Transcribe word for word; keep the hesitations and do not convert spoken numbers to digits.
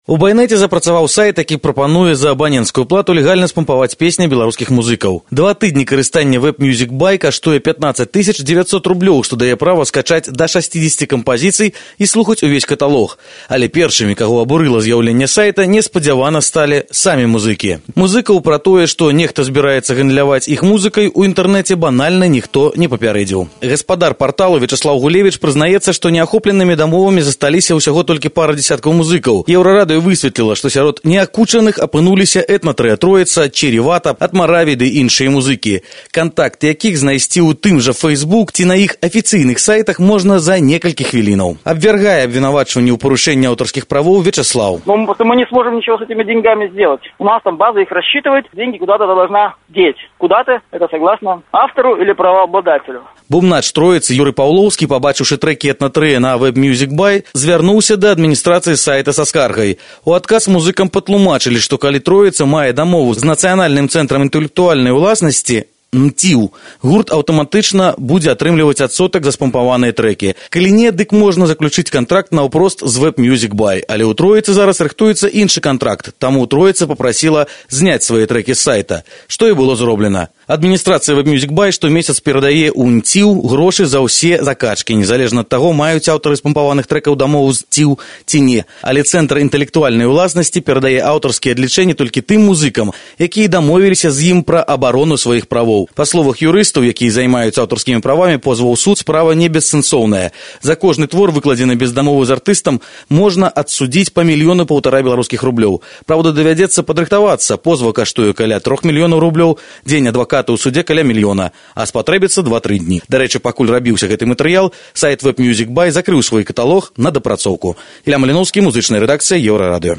У байнэце запрацаваў сайт, які прапануе за абаненцкую плату легальна спампаваць песні беларускіх музыкаў. Два тыдні карыстання Web Music Buy каштуе пятнаццаць тысяч дзевяцьсот рублёў, што дае права скачаць да шасцідзесяці кампазіцый і слухаць увесь каталог. Але першымі, каго абурыла з'яўленне сайта, неспадзявана сталі самі музыкі. Музыкаў пра тое, што нехта збіраецца гандляваць іх музыкай, у інтэрнэце банальна ніхто не папярэдзіў. Гаспадар парталу Вячеслав Гулевич прызнаецца, што неахопленымі дамовамі засталіся ўсяго толькі пара дзесяткаў музыкаў. Еўрарадыё высветліла, што сярод неакучаных апынуліся этна-трыя Троіца, Черевата, Атмараві ды іншыя музыкі, кантакты якіх знайсці ў тым жа Facebook ці на іх афіцыйных сайтах можна за некалькі хвілінаў. Абвяргае абвінавачванні ў парушэнні аўтарскіх правоў Вячеслав. Но мы не сможем ничего с этими деньгами сделать. У нас там база их рассчитывает, деньги куда-то должна деть. Куда-то, это согласно автору или правообладателю. Бумнач Троіцы Юрый Паўлоўскі, пабачыўшы трэкі этна-трыя на Web Music Buy, звярнуўся да адміністрацыі сайта са скаргай. У адказ музыкам патлумачылі, што калі Троіца мае дамову з Нацыянальным цэнтрам інтэлектуальнай уласнасці эн ці ю, гурт аўтаматычна будзе атрымліваць адсотак за спампаваныя трэкі. Калі не, дык можна заключыць кантракт наўпрост з Web Music Buy, але ў Троіцы зараз рыхтуецца іншы кантракт, таму Троіца папрасіла зняць свае трэкі з сайта, што і было зроблена. Адміністрацыя Web Music Buy штомесяц перадае ў эн ці ю грошы за ўсе закачкі, незалежна ад таго, маюць аўтары спампаваных трэкаў дамову з эн ці ю ці не. Але Цэнтр інтэлектуальнай уласнасці перадае аўтарскія адлічэнні толькі тым музыкам, якія дамовіліся з ім пра абарону сваіх правоў. Па словах юрыстаў, якія займаюцца аўтарскімі правамі, позваў у суд, справа не бессэнсоўная. За кожны твор, выкладзены без дамовы з артыстам, можна адсудзіць па мільёну паўтара беларускіх рублёў. Праўда, давядзецца падрыхтавацца. Позва каштуе каля трох мільёнаў рублёў, дзень адваката ў судзе каля мільёна, а спатрэбіцца два-тры дні. Дарэчы, пакуль рабіўся гэты матэрыял, сайт Web Music Buy закрыў свой каталог на дапрацоўку. Ілля Маліноўскі, музычная рэдакцыя Еўрарадыё.